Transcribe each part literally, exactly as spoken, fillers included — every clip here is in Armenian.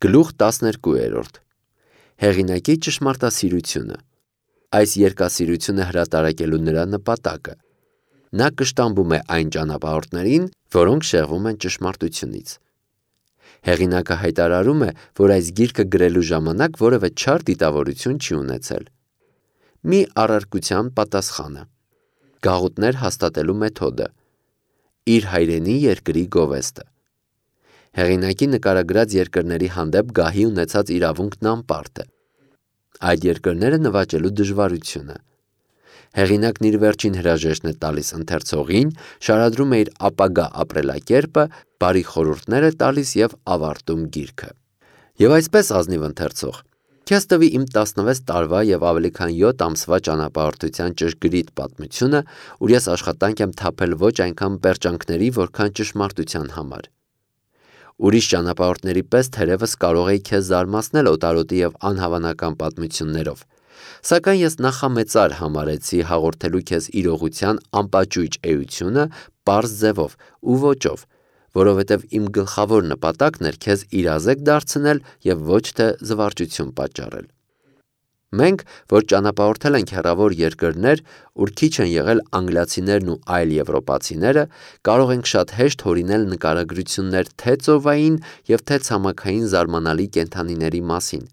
Գլուխ տասներկու Հեղինակի ճշմարտասիրությունը։ Այս երկասիրությունը հրատարակելու նրա նպատակը։ Նա կշտամբում է այն ճանապարհորդներին, որոնք շեղվում են ճշմարտությունից։ Հեղինակը հայտարարում է, որ այս գիրքը գրելու ժամանակ որևէ չար դիտավորություն չի ունեցել։ Մի առարկության պատասխանը։ Գաղութներ հաստատելու մեթոդը։ Իր հայրենի երկրի գովեստը։ Հեղինակի նկարագրած երկրների հանդեպ գահի ունեցած իրավունքն անպարտ է։ Այդ երկրները նվաճելու դժվարությունը։ Հեղինակն իր վերջին հրաժեշտն է տալիս ընթերցողին, շարադրում է իր ապագա ապրելակերպը, բարի խորհուրդներ է տալիս և ավարտում գիրքը։ Եվ այսպես, ազնիվ ընթերցող, քեզ տվի իմ տասնվեց տարվա և ավելի քան յոթ ամսվա ճանապարհորդության ճշգրիտ պատմությունը, ուր ես աշխատանք եմ թափել ոչ այնքան պերճանքների, որքան ճշմարտության համար։ Ուրիշ ճանապարհորդների պես թերևս կարող էի քեզ զարմացնել օտարոտի և անհավանական պատմություններով, սակայն ես նախամեծար համարեցի հաղորդելու քեզ իրողության անպաճույճ էությունը պարզ ձևով ու ոճով, որովհետև իմ գլխավոր նպատակն էր քեզ իրազեկ դարձնել և ոչ թե զվարճություն պատճառել։ Մենք, որ ճանապարհորդել ենք հեռավոր երկրներ, ուր քիչ են եղել անգլիացիներն ու այլ եվրոպացիները, կարող ենք շատ հեշտ հորինել նկարագրություններ թե ծովային և թե ցամաքային զարմանալի կենդանիների մասին։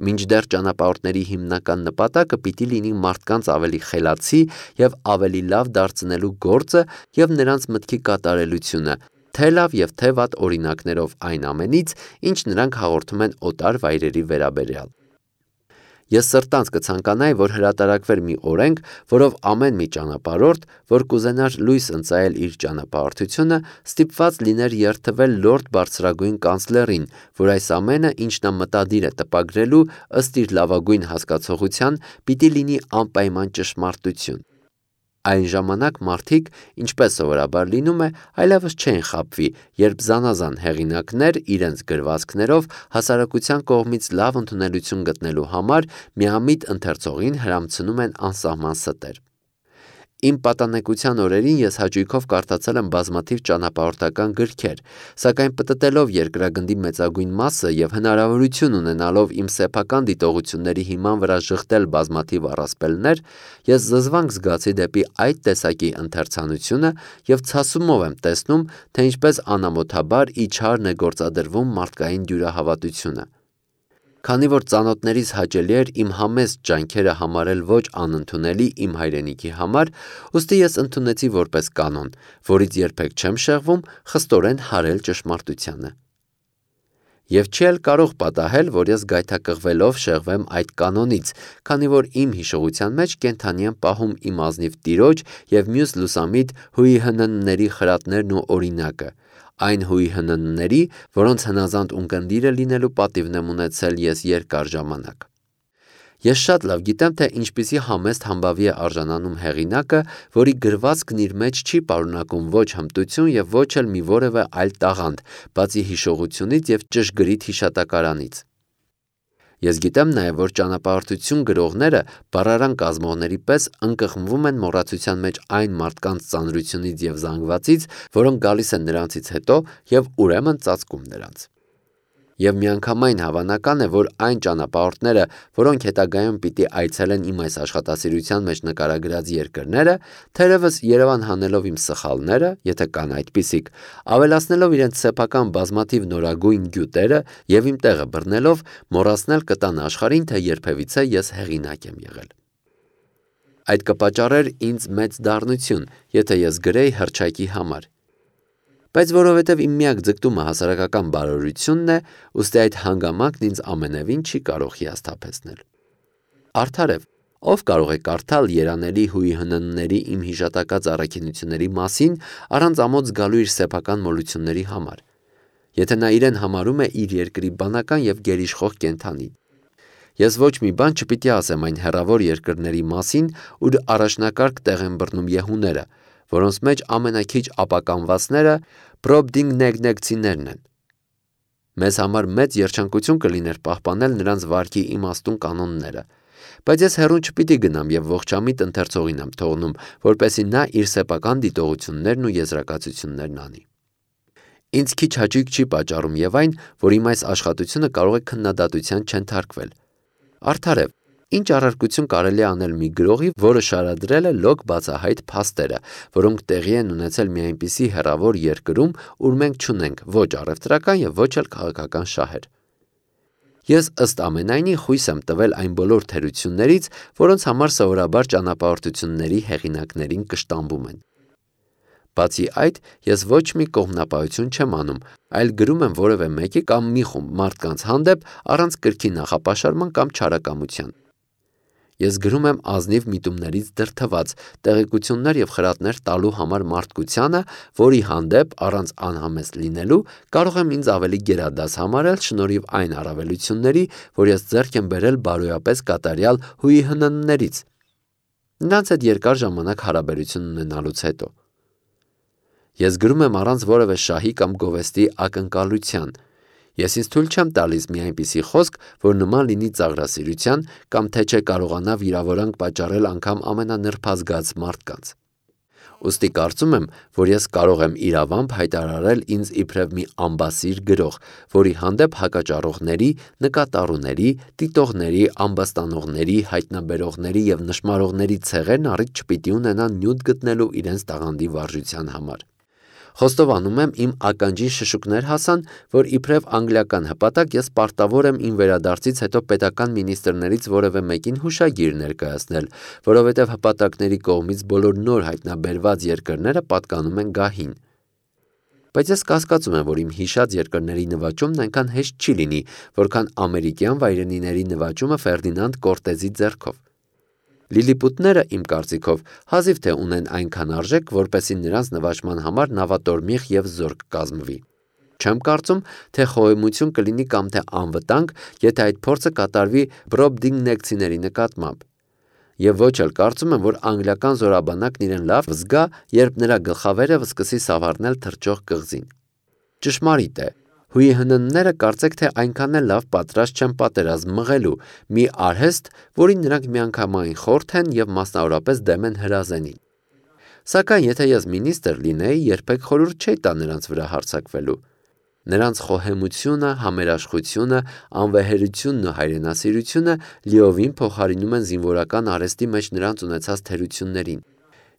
Մինչդեռ ճանապարհորդների հիմնական նպատակը պիտի լինի մարդկանց ավելի խելացի և ավելի լավ դարձնելու գործը և նրանց մտքի կատարելությունը, թե լավ և թե վատ օրինակներով այն ամենից, ինչ նրանք հաղորդում են օտար վայրերի վերաբերյալ։ Ես սրտանց կցանկանայի, որ հրատարակվեր մի օրենք, որով ամեն մի ճանապարհորդ, որ կուզենար լույս ընծայել իր ճանապարհորդությունը, ստիպված լիներ երդվել լորդ բարձրագույն կանցլերին, որ այս ամենը, ինչ նա մտադիր է տպագրելու, ըստ իր լավագույն հասկացողության, պիտի լինի անպայման ճշմարտություն։ Այն ժամանակ մարդիկ, ինչպես սովորաբար լինում է, այլևս չեն խաբվի, երբ զանազան հեղինակներ իրենց գրվածքներով հասարակության կողմից լավ ընդունելություն գտնելու համար միամիտ ընթերցողին հրամցնում են անսահման ստեր։ Իմ պատանեկության օրերին ես հաճույքով կարդացել եմ բազմաթիվ ճանապարհորդական գրքեր, սակայն պտտելով երկրագնդի մեծագույն մասը և հնարավորություն ունենալով իմ սեփական դիտողությունների հիման վրա ժխտել բազմաթիվ առասպելներ, ես զզվանք զգացի դեպի այդ տեսակի ընթերցանությունը և ցասումով եմ տեսնում, թե ինչպես անամոթաբար իչհարն է գործադրվում մարդկային դյուրահավատությունը։ Քանի որ ծանոթներիս հաճելի էր իմ համեստ ջանքերը համարել ոչ անընդունելի իմ հայրենիքի համար, ուստի ես ընդունեցի որպես կանոն, որից երբեք չեմ շեղվում, խստորեն հարել ճշմարտությանը։ Եվ չի էլ կարող պատահել, որ ես գայթակղվելով շեղվեմ այդ կանոնից, քանի որ իմ հիշողության մեջ կենդանի եմ պահում իմ ազնիվ տիրոջ և մյուս լուսամիտ հուիհննների խրատներն ու օրինակը, այն հուիհննների, որոնց հնազանդ ունկնդիրը լինելու պատիվն եմ ունեցել ես երկար ժամանակ։ Ես շատ լավ գիտեմ, թե ինչպիսի համեստ համբավի է արժանանում հեղինակը, որի գրվածքն իր մեջ չի պարունակում ոչ հմտություն և ոչ էլ մի որևէ այլ տաղանդ, բացի հիշողությունից և ճշգրիտ հիշատակարանից։ Ես գիտեմ նաև, որ ճանապարհորդություն գրողները բառարան կազմողների պես ընկղմվում են մոռացության մեջ այն մարդկանց ծանրությունից և զանգվածից, որոնք գալիս են նրանցից հետո և ուրեմն ծածկում նրանց։ Եվ միանգամայն հավանական է, որ այն ճանապարհորդները, որոնք հետագայում պիտի այցելեն իմ այս աշխատասիրության մեջ նկարագրած երկրները, թերևս Երևան հանելով իմ սխալները, եթե կան այդպիսիք, ավելացնելով իրենց սեփական բազմաթիվ նորագույն գյուտերը և իմ տեղը բռնելով, մոռացնել կտան աշխարհին, թե երբևիցե ես հեղինակ եմ եղել։ Այդ կպատճառեր ինձ մեծ դառնություն, եթե ես գրեի հռչակի համար։ Բայց որովհետև իմ միակ ձգտումը հասարակական բարօրությունն է, ուստի այդ հանգամանքն ինձ ամենևին չի կարող հիասթափեցնել։ Արդարև, ով կարող է կարդալ երանելի հուիհննների իմ հիշատակած առաքինությունների մասին առանց ամոթ զգալու իր սեփական մոլությունների համար, եթե նա իրեն համարում է իր երկրի բանական և գերիշխող կենդանի։ Ես ոչ մի բան չպիտի ասեմ այն հեռավոր երկրների մասին, ուր առաջնակարգ տեղ են բռնում եհուները, որոնց մեջ ամենաքիչ ապականվածները պրոբդինգնեգնեգցիներն են։ Մեզ համար մեծ երջանկություն կլիներ պահպանել նրանց վարքի իմաստուն կանոնները, բայց ես հեռուն չպիտի գնամ և ողջամիտ ընթերցողին եմ թողնում, որպեսզի նա իր սեփական դիտողություններն ու եզրակացություններն անի։ Ինձ քիչ հաճույք չի պատճառում եւ այն, որ իմ այս աշխատությունը կարող է քննադատության չընթարկվել։ Արդարև, ինչ առարկություն կարելի է անել մի գրողի, որը շարադրել է լոկ բացահայտ փաստերը, որոնք տեղի են ունեցել մի այնպիսի հեռավոր երկրում, ուր մենք չունենք ոչ առևտրական եւ ոչ էլ քաղաքական շահեր։ Ես ըստ ամենայնի խույս եմ տվել այն բոլոր թերություններից, որոնց համար սովորաբար ճանապարհորդությունների հեղինակներին կշտամբում են։ Բացի այդ, ես ոչ մի կողմնապահություն չեմ անում, այլ գրում եմ որևէ մեկի կամ մի խումբ մարդկանց հանդեպ առանց կրքի նախապաշարման կամ չարակամության։ Ես գրում եմ ազնիվ միտումներից դրդված տեղեկություններ եւ խրատներ տալու համար մարդկությանը, որի հանդեպ առանց անհամեստ լինելու կարող եմ ինձ ավելի գերադաս համարել շնորհիվ այն առավելությունների, որ ես ձեռք եմ բերել բարոյապես կատարյալ հույհնններից, նրանց հետ երկար ժամանակ հարաբերություն ունենալուց հետո։ Ես գրում եմ առանց որևէ շահի կամ գովեստի ակնկալության։ Ես ինձ թույլ չեմ տալիս մի այնպիսի խոսք, որ նման լինի ծաղրասիրության կամ թե չէ կարողանա վիրավորանք պատճառել անգամ ամենանրբազգաց մարդկանց։ Ուստի կարծում եմ, որ ես կարող եմ իրավամբ հայտարարել ինձ իբրև մի ամբասիր գրող, որի հանդեպ հակաճառողների, նկատառուների, դիտողների, ամբաստանողների, հայտնաբերողների եւ նշմարողների ցեղերն առիթ չպիտի ունենան նյութ գտնելու իրենց տաղանդի վարժության համար։ Խոստովանում եմ, իմ ականջին շշուկներ հասան, որ իբրև անգլիական հպատակ ես պարտավոր եմ իմ վերադարձից հետո պետական մինիստրներից որևէ մեկին հուշագիր ներկայացնել, որովհետև հպատակների կողմից բոլոր նոր հայտնաբերված երկրները պատկանում են գահին։ Բայց ես կասկածում եմ, որ իմ հիշած երկրների նվաճումն այնքան հեշտ չի լինի, որքան ամերիկյան վայրենիների նվաճումը Ֆերդինանդ Կորտեզի ձեռքով։ Լիլիպուտները, իմ կարծիքով, հազիվ թե ունեն այնքան արժեք, որպեսզի նրանց նվաճման համար նավատորմիղ եւ զորք կազմվի։ Չեմ կարծում, թե խոհեմություն կլինի կամ թե անվտանգ, եթե այդ փորձը կատարվի բրոբդինգնեկցիների նկատմամբ։ Եվ ոչ էլ կարծում եմ, որ անգլիական զորաբանակն իրեն լավ զգա, երբ նրա գլխավերը սկսի սավառնել թռչող կղզին։ Ճշմարիտ է, հույհննները կարծեք թե այնքան էլ լավ պատրաստ չեն պատերազմ մղելու, մի արհեստ, որին նրանք միանգամայն խորթ են եւ մասնավորապես դեմ են հրազենին։ Սակայն եթե ես մինիստր լինեի, երբեք խորհուրդ չէի տա նրանց վրա հարձակվելու։ Նրանց խոհեմությունը, համերաշխությունը, անվեհերությունն ու հայրենասիրությունը լիովին փոխարինում են զինվորական արհեստի մեջ նրանց ունեցած թերություններին։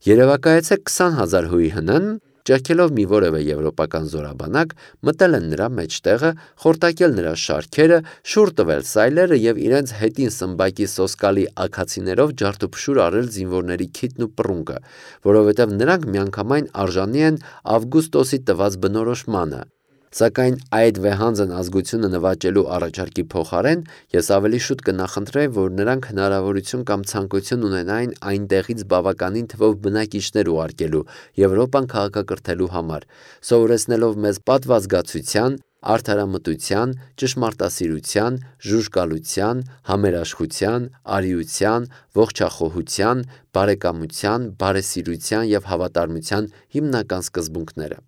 Երևակայեցեք քսան հազար հույհնն, ճեղքելով մի որևէ եվրոպական զորաբանակ, մտել են նրա մեջտեղը, խորտակել նրա շարքերը, շուռ տվել սայլերը եւ իրենց հետին սմբակի սոսկալի աքացիներով ջարդուփշուր արել զինվորների քիթն ու պռունգը, որովհետեւ նրանք միանգամայն արժանի են Ավգուստոսի տված բնորոշմանը։ Սակայն այդ վեհանձն ազգությունը նվաճելու առաջարկի փոխարեն ես ավելի շուտ կնախընտրեի, որ նրանք հնարավորություն կամ ցանկություն ունենային այնտեղից բավականին թվով բնակիչներ ուղարկելու Եվրոպան քաղաքակրթելու համար, սովորեցնելով մեզ պատվազգացության, արդարամտության, ճշմարտասիրության, ժուժկալության, համերաշխության, արիության, ողջախոհության, բարեկամության, բարեսիրության եւ հավատարմության հիմնական սկզբունքները։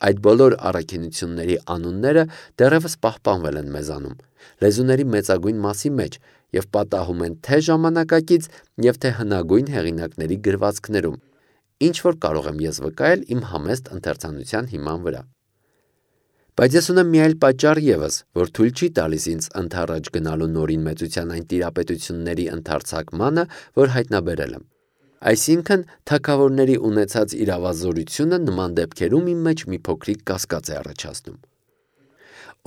Այդ բոլոր առաքինությունների անունները դեռևս պահպանվել են մեզանում, լեզուների մեծագույն մասի մեջ եւ պատահում են թե ժամանակակից եւ թե հնագույն հեղինակների գրվածքներում, ինչ որ կարող եմ ես վկայել իմ համեստ ընթերցանության հիման վրա։ Բայց ես ունեմ մի այլ պատճառ եւս, որ թույլ չի տալիս ինձ ընթառաջ գնալու նորին մեծության այն տիրապետությունների ընդարձակմանը, որ հայտնաբերել եմ։ Այսինքն, թագավորների ունեցած իրավազորությունը նման դեպքերում իմ մեջ մի փոքրիկ կասկած է առաջացնում։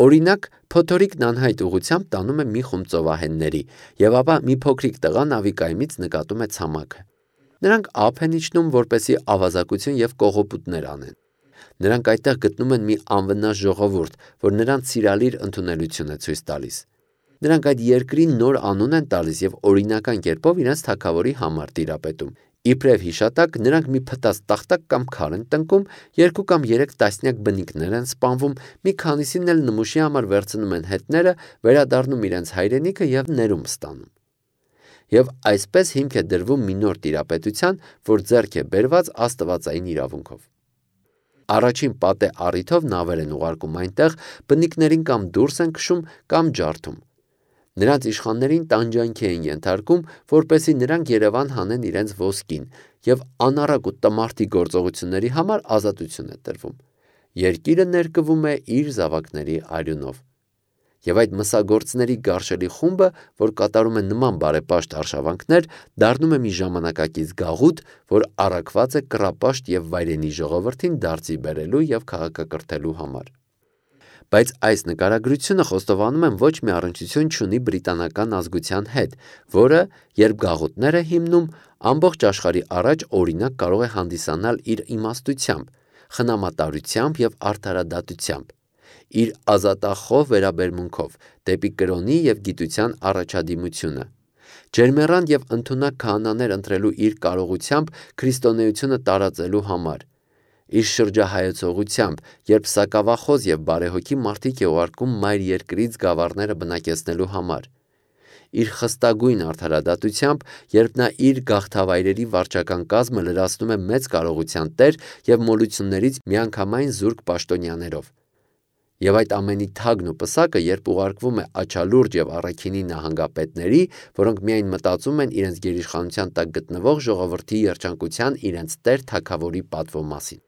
Օրինակ, փոթորիկն անհայտ ուղղությամբ տանում է մի խումբ ծովահենների, եւ ապա մի փոքրիկ տղա նավիկայմից նկատում է ցամաքը։ Նրանք ափ են իջնում, որպեսզի ավազակություն եւ կողոպուտներ անեն։ Նրանք այդտեղ գտնում են մի անվնաս ժողովուրդ, որ նրանց սիրալիր ընդունելություն է ցույց տալիս։ Նրանք այդ երկրին նոր անուն են տալիս եւ օրինական կերպով իրենց թագավորի համար տիրապետում։ Իբրև հիշատակ նրանք մի փտած տախտակ կամ քար են տնկում, երկու կամ երեք տասնյակ բնիկներ են սպանվում, մի քանիսին էլ նմուշի համար վերցնում են հետները, վերադառնում իրենց հայրենիքը եւ ներում ստանում։ Եվ այսպես հիմք է դրվում մի նոր տիրապետության, որ ձեռք է բերված աստվածային իրավունքով։ Առաջին պատե առիթով նավեր են ուղարկում այնտեղ, բնիկներին կամ դուրս են քշում կամ ջարդում։ Նրանց իշխաններին տանջանքի են ենթարկում, որպեսզի նրանք Երևան հանեն իրենց ոսկին, եւ անառակ ու տմարդի գործողությունների համար ազատություն է տրվում։ Երկիրը ներկվում է իր զավակների արյունով։ Եվ այդ մսագործների գարշելի խումբը, որ կատարում է նման բարեպաշտ արշավանքներ, դառնում է մի ժամանակակից գաղութ, որ առաքված է կռապաշտ և վայրենի ժողովրդին դարձի բերելու և քաղաքակրթելու համար։ Բայց այս նկարագրությունը խոստովանում եմ ոչ մի առնչություն չունի բրիտանական ազգության հետ, որը, երբ գաղութներ է հիմնում, ամբողջ աշխարհի առաջ օրինակ կարող է հանդիսանալ իր իմաստությամբ, խնամատարությամբ և արդարադատությամբ, իր ազատախոհ վերաբերմունքով դեպի կրոնի և գիտության առաջադիմությունը, ջերմեռանդ և ընդունակ քահանաներ ընտրելու իր կարողությամբ քրիստոնեությունը տարածելու համար, իր շրջահայեցողությամբ, երբ սակավախոս և բարեհոգի մարդիկ է ուղարկում մայր երկրից գավառները բնակեցնելու համար, իր խստագույն արդարադատությամբ, երբ նա իր գաղթավայրերի վարչական կազմը լրացնում է մեծ կարողության տեր և մոլություններից միանգամայն զուրկ պաշտոնյաներով, և այդ ամենի թագն ու պսակը, երբ ուղարկվում է աչալուրջ և առաքինի նահանգապետների, որոնք միայն մտածում են իրենց գերիշխանության տակ գտնվող ժողովրդի երջանկության իրենց տեր թագավորի պատվո մասին։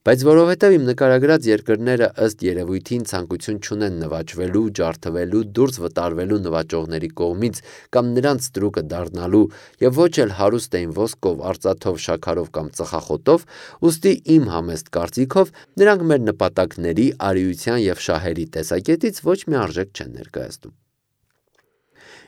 Բայց որովհետև իմ նկարագրած երկրները ըստ երևույթին ցանկություն չունեն նվաճվելու, ջարդվելու, դուրս վտարվելու նվաճողների կողմից կամ նրանց ստրուկը դառնալու և ոչ էլ հարուստ էին ոսկով, արծաթով, շաքարով կամ ծխախոտով, ուստի իմ համեստ կարծիքով նրանք մեր նպատակների, արիության և շահերի տեսակետից ոչ մի արժեք չեն ներկայացնում։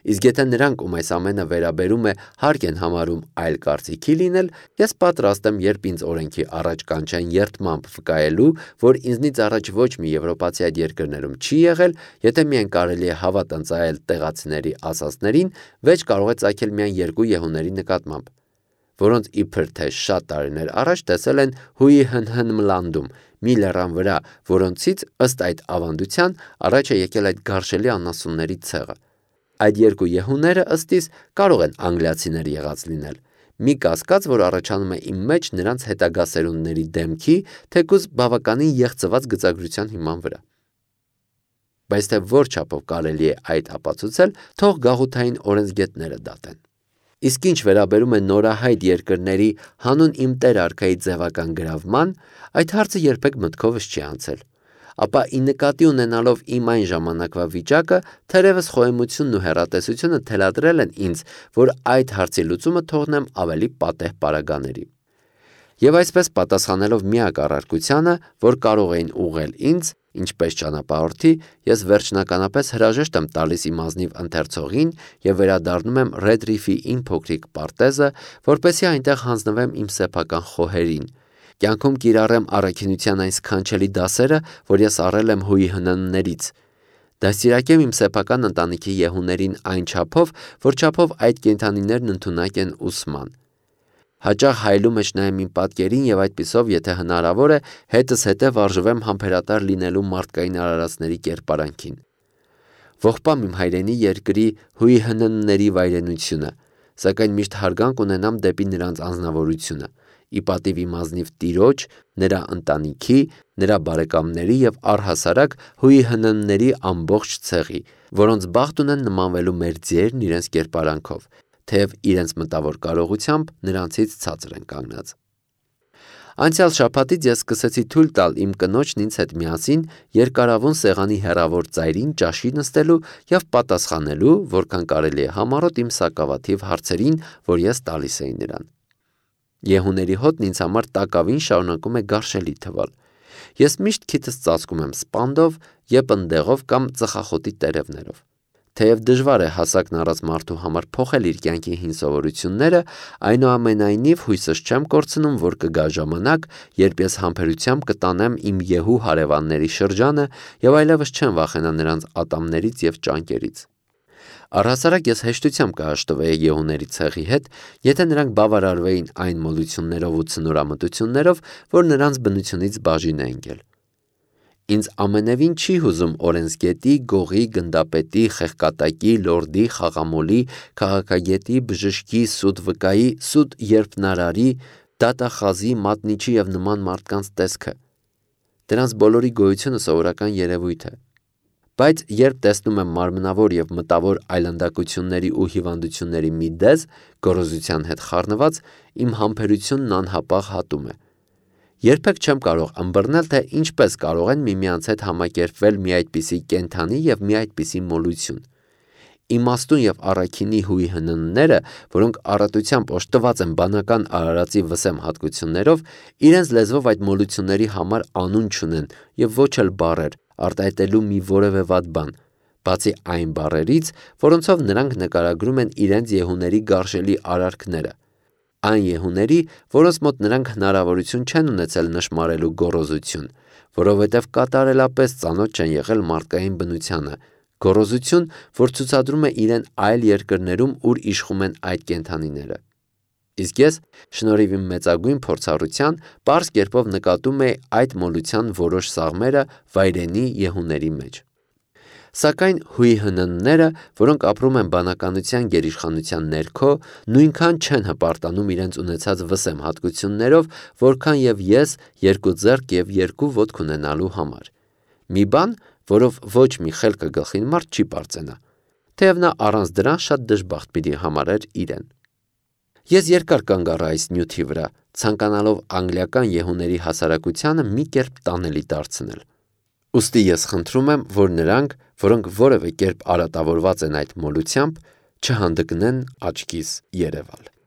Իսկ եթե նրանք, ում այս ամենը վերաբերում է, հարկ են համարում այլ կարծիքի լինել, ես պատրաստ եմ, երբ ինձ օրենքի առաջ կանչեն երդմամբ վկայելու, որ ինձնից առաջ ոչ մի եվրոպացի այդ երկրներում չի եղել, եթե միայն կարելի է հավատ ընծայել տեղացիների ասածներին, վեճ կարող է ծագել միայն երկու եհուների նկատմամբ, որոնց իբր թե շատ տարիներ առաջ տեսել են Հուի-Հն-Հն-Մլանդում, մի լեռան վրա, որոնցից, ըստ այդ ավանդության, առաջ է եկել այդ գարշելի անասունների ցեղը։ Այդ երկու եհուները ըստ իս կարող են անգլիացիներ եղած լինել, մի կասկած, որ առաջանում է իմ մեջ նրանց հետագա սերունդների դեմքի, թեկուզ բավականին եղծված գծագրության հիման վրա։ Բայց թե որ չափով կարելի է այդ ապացուցել, թող գաղութային օրենսգետները դատեն։ Իսկ ինչ վերաբերում է նորահայտ երկրների հանուն իմ տեր արքայի ձևական գրավման, այդ հարցը երբեք մտքովս չի անցել, ապա ի նկատի ունենալով իմ այն ժամանակվա վիճակը, թերևս խոհեմությունն ու հեռատեսությունը թելադրել են ինձ, որ այդ հարցի լուծումը թողնեմ ավելի պատեհ պարագաների։ Եվ այսպես պատասխանելով միակ առարկությանը, որ կարող էին ուղղել ինձ, ինչպես ճանապարհորդի, ես վերջնականապես հրաժեշտ եմ տալիս իմ ազնիվ ընթերցողին և վերադառնում եմ Ռեդրիֆի իմ փոքրիկ պարտեզը, որպեսզի այնտեղ հանձնվեմ իմ սեփական խոհերին, կյանքում կիրառեմ առաքինության այն սքանչելի դասերը, որ ես առել եմ Հուի-Հնններից, դաստիարակեմ իմ սեփական ընտանիքի եհուներին այն չափով, որ չափով այդ կենդանիներն ընդունակ են ուսման, հաճախ հայելու մեջ նայեմ իմ պատկերին և այդպիսով, եթե հնարավոր է, հետս հետև արժվեմ համբերատար լինելու մարդկային արարածների կերպարանքին, ողբամ իմ հայրենի երկրի Հուի-Հննների վայրենությունը, սակայն միշտ հարգանք ունենամ դեպի նրանց անձնավորությունը, ի պատիվ իմ ազնիվ տիրոջ, նրա ընտանիքի, նրա բարեկամների և առհասարակ Հուի-Հննների ամբողջ ցեղի, որոնց բախտ ունեն նմանվելու մեր ձերն իրենց կերպարանքով, թեև իրենց մտավոր կարողությամբ նրանցից ցածր են կանգնած։ Անցյալ շաբաթից ես սկսեցի թույլ տալ իմ կնոջն ինձ հետ միասին երկարավուն սեղանի հեռավոր ծայրին ճաշի նստելու և պատասխանելու, որքան կարելի է համառոտ իմ սակավաթիվ հարցերին, որ ես տալիս էի նրան։ Եհուների հոտն ինձ համար տակավին շարունակում է գարշելի թվալ։ Ես միշտ քիթս ծածկում եմ սպանդով, եպնդեղով կամ ծխախոտի տերևներով։ Թեև դժվար է հասակն առած մարդու համար փոխել իր կյանքի հին սովորությունները, այնուամենայնիվ հույսս չեմ կորցնում, որ կգա ժամանակ, երբ ես համբերությամբ կտանեմ իմ եհու հարևանների շրջանը և այլևս չեմ վախենա նրանց ատամներից և ճանկերից։ Առհասարակ ես հեշտությամբ կհաշտվեի եհուների ցեղի հետ, եթե նրանք բավարարվեին այն մոլություններով ու ցնորամտություններով, որ նրանց բնությունից բաժին է ընկել։ Ինձ ամենևին չի հուզում օրենսգետի, գողի, գնդապետի, խեղկատակի, լորդի, խաղամոլի, քաղաքագետի, բժշկի, սուտ վկայի, սուտ երբնարարի, դատախազի, մատնիչի և նման մարդկանց տեսքը։ Դրանց բոլորի գոյությունը սովորական երևույթ է։ Բայց երբ տեսնում եմ մարմնավոր և մտավոր այլանդակությունների ու հիվանդությունների մի դեզ, գոռոզության հետ խառնված, իմ համբերությունն անհապաղ հատում է։ Երբեք չեմ կարող ըմբռնել, թե ինչպես կարող են միմյանց հետ համակերպվել մի այդպիսի կենդանի և մի այդպիսի մոլություն։ Իմաստուն և առաքինի հույի հննները, որոնք առատությամբ օժտված են բանական արարածի վսեմ հատկություններով, իրենց լեզվով այդ մոլությունների համար անուն չունեն և ոչ էլ բառեր, արտահայտելու մի որևէ վատ բան, բացի այն բառերից, որոնցով նրանք նկարագրում են իրենց եհուների գարշելի արարքները, այն եհուների, որոնց մոտ նրանք հնարավորություն չեն ունեցել նշմարելու գոռոզություն, որովհետև կատարելապես ծանոթ չեն եղել մարդկային բնությանը, գոռոզություն, որ ցուցադրում է իրեն այլ երկրներում, ուր իշխում են այդ կենդանիները։ Իսկ ես, շնորհիվ իմ մեծագույն փորձառության, պարզ կերպով նկատում էի այդ մոլության որոշ սաղմերը վայրենի եհուների մեջ։ Սակայն հույի հննները, որոնք ապրում են բանականության գերիշխանության ներքո, նույնքան չեն հպարտանում իրենց ունեցած վսեմ հատկություններով, որքան և ես երկու ձեռք և երկու ոտք ունենալու համար։ Մի բան, որով ոչ մի խելքը գլխին մարդ չի պարծենա, թեև նա առանց դրան շատ դժբախտ պիտի համարեր իրեն։ Ես երկար կանգ առա այս նյութի վրա, ցանկանալով անգլիական եհուների հասարակությանը մի կերպ տանելի դարձնել։ Ուստի ես խնդրում եմ, որ նրանք, որոնք որևէ կերպ արատավորված են այդ մոլությամբ, չհանդգնեն աչքիս երևալ։